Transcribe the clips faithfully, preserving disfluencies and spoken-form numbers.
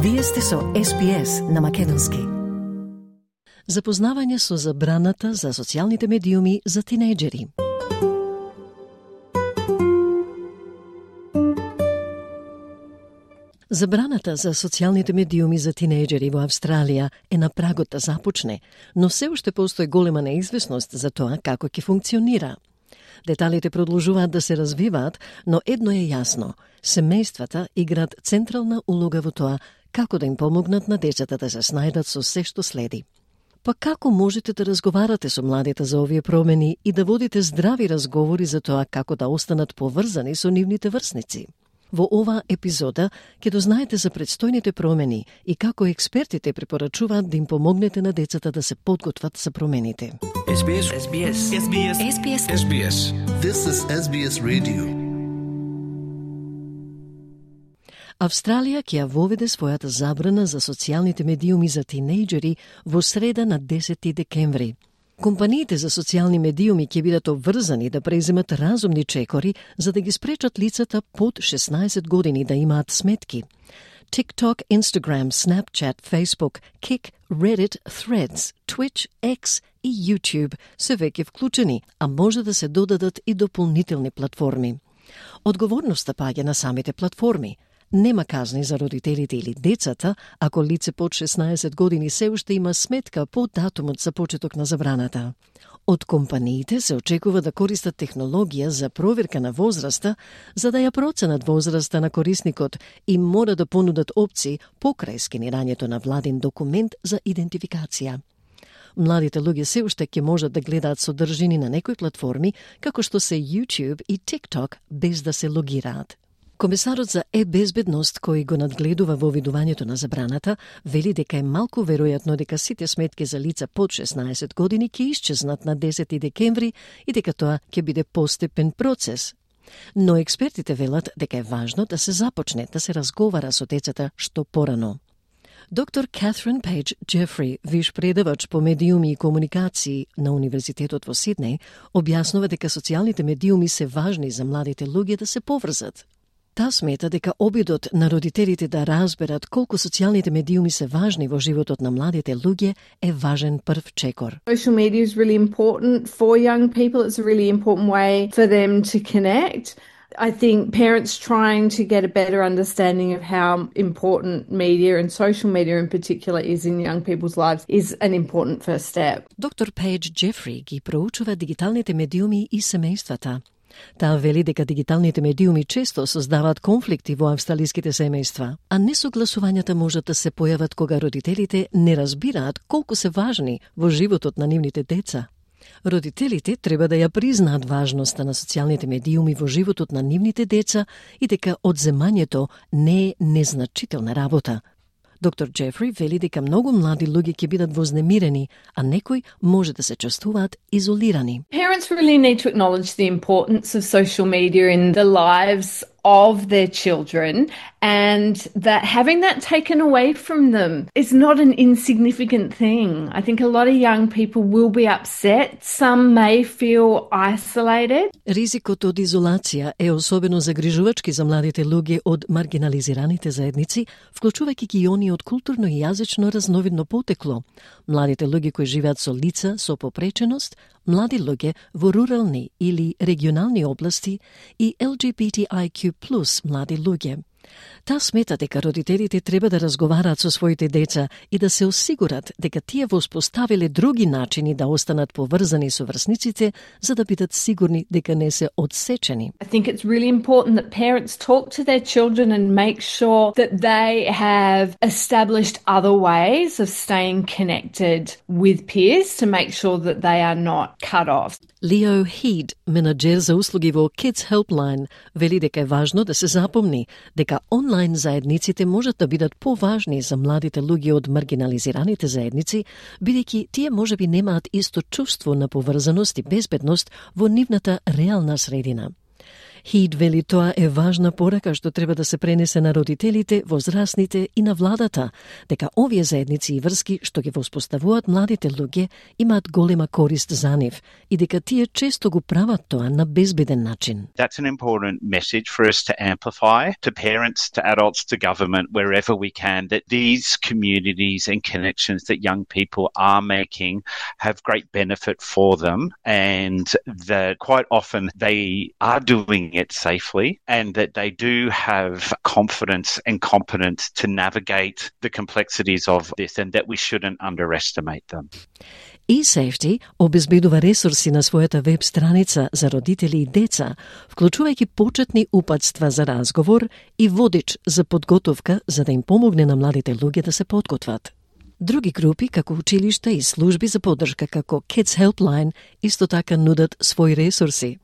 Вие сте со Ес Би Ес на македонски. Запознавање со забраната за социјалните медиуми за тинејџери. Забраната за социјалните медиуми за тинејџери во Австралија е на прагот да започне, но се уште постои голема неизвестност за тоа како ќе функционира. Деталите продолжуваат да се развиваат, но едно е јасно – семејствата играат централна улога во тоа како да им помогнат на децата да се снајдат со се што следи. Па како можете да разговарате со младите за овие промени и да водите здрави разговори за тоа како да останат поврзани со нивните врсници? Во оваа епизода ќе дознаете за предстојните промени и како експертите препорачуваат да им помогнете на децата да се подготват за промените. Ес Би Ес. Ес Би Ес. Ес Би Ес. Ес Би Ес. Ес Би Ес. This is Ес Би Ес Radio. Австралија ќе ја воведе својата забрана за социјалните медиуми за тинејџери во среда на десети декември. Компаниите за социјални медиуми ќе бидат обврзани да преземат разумни чекори за да ги спречат лицата под шеснаесет години да имаат сметки. TikTok, Instagram, Snapchat, Facebook, Kik, Reddit, Threads, Twitch, X и YouTube се веќе вклучени, а може да се додадат и дополнителни платформи. Одговорноста паѓа на самите платформи. Нема казни за родителите или децата ако лице под шеснаесет години се уште има сметка по датумот за почеток на забраната. Од компаниите се очекува да користат технологија за проверка на возраста, за да ја проценат возраста на корисникот и мора да понудат опции покрај скенирањето на владин документ за идентификација. Младите луѓе се уште ќе можат да гледаат содржини на некои платформи, како што се YouTube и TikTok, без да се логираат. Комесарот за е-безбедност, кој го надгледува во видувањето на забраната, вели дека е малку веројатно дека сите сметки за лица под шеснаесет години ќе исчезнат на десети декември и дека тоа ќе биде постепен процес. Но експертите велат дека е важно да се започне да се разговара со децата што порано. Доктор Катрин Пејдж Джефри, виш предавач по медиуми и комуникации на Универзитетот во Сиднеј, објаснува дека социјалните медиуми се важни за младите луѓе да се поврзат. Та смета дека обидот на родителите да разберат колку социјалните медиуми се важни во животот на младите луѓе е важен прв чекор. Social media is really important for young people. It's a really important way for them to connect. I think parents trying to get a better understanding of how important media and social media in particular is in young people's lives is an important first step. Доктор Пејдж Джефри ги проучува дигиталните медиуми и семејствата. Таа вели дека дигиталните медиуми често создаваат конфликти во австралиските семејства, а несогласувањата можат да се појават кога родителите не разбираат колку се важни во животот на нивните деца. Родителите треба да ја признаат важноста на социјалните медиуми во животот на нивните деца и дека одземањето не е незначителна работа. Доктор Джефри вели дека многу млади луѓе ќе бидат вознемирени, а некои може да се чувствуваат изолирани. Parents really need to acknowledge the importance of social media in the lives of their children, and that having that taken away from them is not an insignificant thing. I think a lot of young people will be upset. Some may feel isolated. Ризикот од изолација е особено загрижувачки за младите луѓе од маргинализираните заедници, вклучувајќи ги они од културно и јазично разновидно потекло, младите луѓе кои живеат со лица со попреченост, млади луѓе во рурални или регионални области и Ел Џи Би Ти Ај Кју плюс млади луѓе. Та смета дека родителите треба да разговараат со своите деца и да се осигурат дека тие воспоставиле други начини да останат поврзани со врсниците за да бидат сигурни дека не се одсечени. I think it's really important that parents talk to their children and make sure that they have established other ways of staying connected with peers to make sure that they are not cut off. Лео Хид, менаџер за услуги во Kids Helpline, вели дека е важно да се запомни дека онлайн заедниците можат да бидат поважни за младите луѓе од маргинализираните заедници, бидејќи тие можеби немаат исто чувство на поврзаност и безбедност во нивната реална средина. Хид вели тоа е важна порака што треба да се пренесе на родителите, возрастните и на владата, дека овие заедници и врски што ги воспоставуваат младите луѓе имаат голема корист за нив и дека тие често го прават тоа на безбеден начин. That's an important message for us to amplify to parents, to adults, to government, wherever we can, that these communities and connections that young people are making have great benefit for them, and that quite often they are doing it safely, and that they do have confidence and competence to navigate the complexities of this, and that we shouldn't underestimate them. eSafety обезбедува ресурси на својата веб страница за родители и деца, вклучувајќи почетни упатства за разговор и водич за подготовка за да им помогне на младите луѓе да се подготват. Други групи, како училишта и служби за поддршка како Kids Helpline, исто така нудат своји ресурси.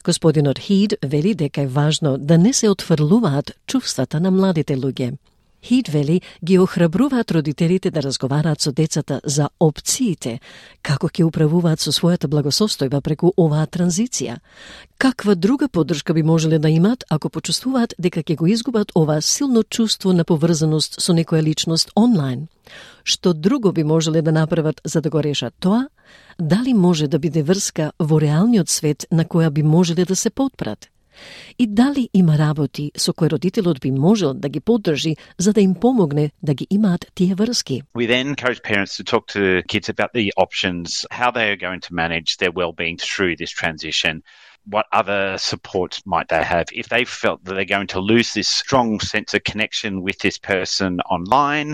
Господинот Хид вели дека е важно да не се отфрлуваат чувствата на младите луѓе. Хид вели ги охрабруваат родителите да разговараат со децата за опциите, како ќе управуваат со својата благосостојба преку оваа транзиција. Каква друга поддршка би можеле да имаат ако почувствуваат дека ќе го изгубат ова силно чувство на поврзаност со некоја личност онлайн? Што друго би можеле да направат за да го решат тоа? Дали може да биде врска во реалниот свет на која би можеле да се потпрат? И дали има работи со кои родителот би можел да ги поддржи за да им помогне да ги имаат тие врски? We then encourage parents to talk to kids about the options, how they are going to manage their well-being through this transition. What other supports might they have? If they felt that they're going to lose this strong sense of connection with this person online,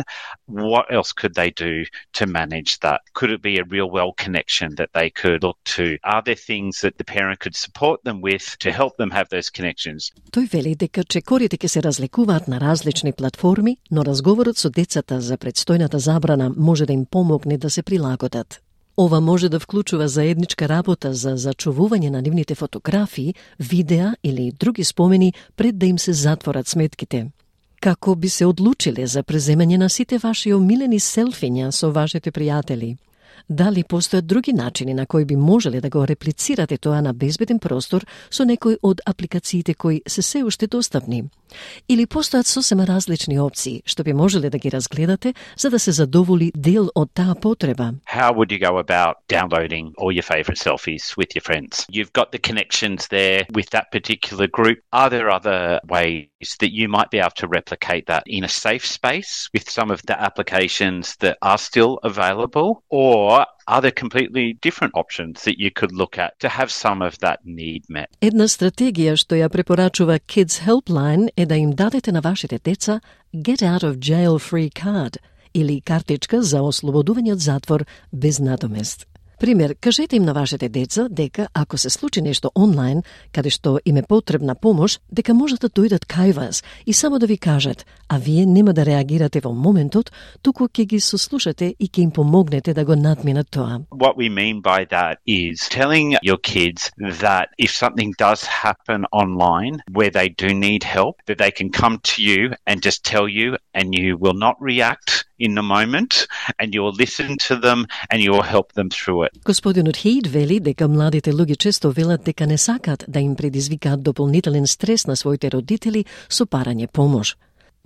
what else could they do to manage that? Could it be a real well connection that they could look to? Are there things that the parent could support them with to help them have those connections? Тој вели дека чекорите ќе се разликуваат на различни платформи, но разговорот со децата за предстојната забрана може да им помогне да се прилагодат. Ова може да вклучува заедничка работа за зачувување на нивните фотографии, видеа или други спомени пред да им се затворат сметките. Како би се одлучиле за преземање на сите ваши омилени селфиња со вашите пријатели? Дали постојат други начини на кои би можеле да го реплицирате тоа на безбеден простор со некој од апликациите кои се се уште достапни? Или постојат сосема различни опции што би можеле да ги разгледате за да се задоволи дел од таа потреба? How would you go about downloading all your favourite selfies with your friends? You've got the connections there with that particular group. Are there other ways that you might be able to replicate that in a safe space with some of the applications that are still available? Or are there completely different options that you could look at to have some of that need met? Една стратегија што ја препорачува Kids Helpline е да им дадете на вашите деца Get Out of Jail Free Card или картичка за ослободување од затвор без надомест. Пример, кажете им на вашите деца дека ако се случи нешто онлайн, каде што им е потребна помош, дека можат да дојдат кај вас и само да ви кажат, а вие нема да реагирате во моментот, туку ќе ги сослушате и ќе им помогнете да го надминат тоа. What we mean by that is telling your kids that if something does happen online where they do need help, that they can come to you and just tell you, and you will not react in the moment, and you will listen to them and you will help them through it. Господинот Хейд вели дека младите луѓе често велат дека не сакаат да им предизвикаат дополнителен стрес на своите родители со парање помош.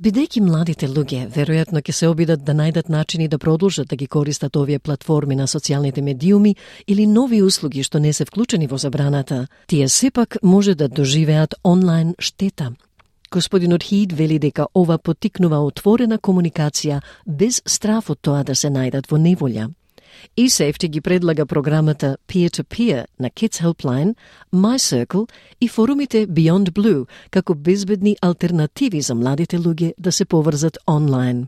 Бидејќи младите луѓе веројатно ќе се обидат да најдат начини да продолжат да ги користат овие платформи на социјалните медиуми или нови услуги што не се вклучени во забраната, тие сепак може да доживеат онлайн штета. Господинот Хид вели дека ова поттикнува отворена комуникација без страф од тоа да се најдат во неволја. eSafety ги предлага програмата Peer-to-Peer на Kids Helpline, MyCircle и форумите Beyond Blue како безбедни алтернативи за младите луѓе да се поврзат онлайн.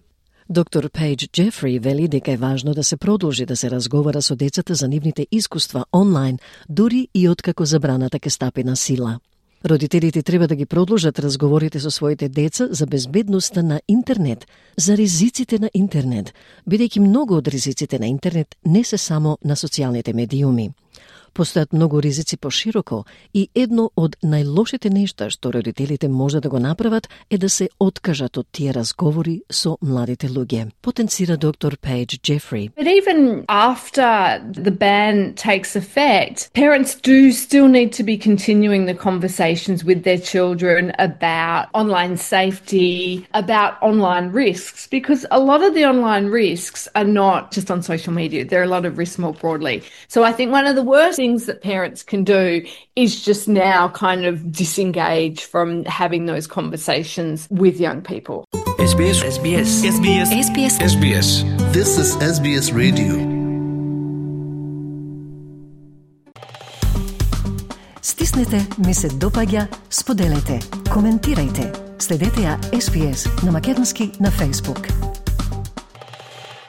Доктор Пейдж Джефри вели дека е важно да се продолжи да се разговара со децата за нивните искуства онлайн, дури и откако забраната ќе стапи на сила. Родителите треба да ги продолжат разговорите со своите деца за безбедноста на интернет, за ризиците на интернет, бидејќи многу од ризиците на интернет не се само на социјалните медиуми. Постојат многу ризици пошироко и едно од најлошите нешта што родителите може да го направат е да се откажат од тие разговори со младите луѓе, потенцира доктор Paige Jeffrey. But even after the ban takes effect, parents do still need to be continuing the conversations with their children about online safety, about online risks, because a lot of the online risks are not just on social media. There are a lot of risks more broadly. So I think one of the worst things that parents can do is just now kind of disengage from having those conversations with young people. S B S S B S S B S S B S S B S This is S B S Radio. Стиснете, ми се допаѓа, споделете, коментирајте. Следете ја С Б С на македонски на Facebook.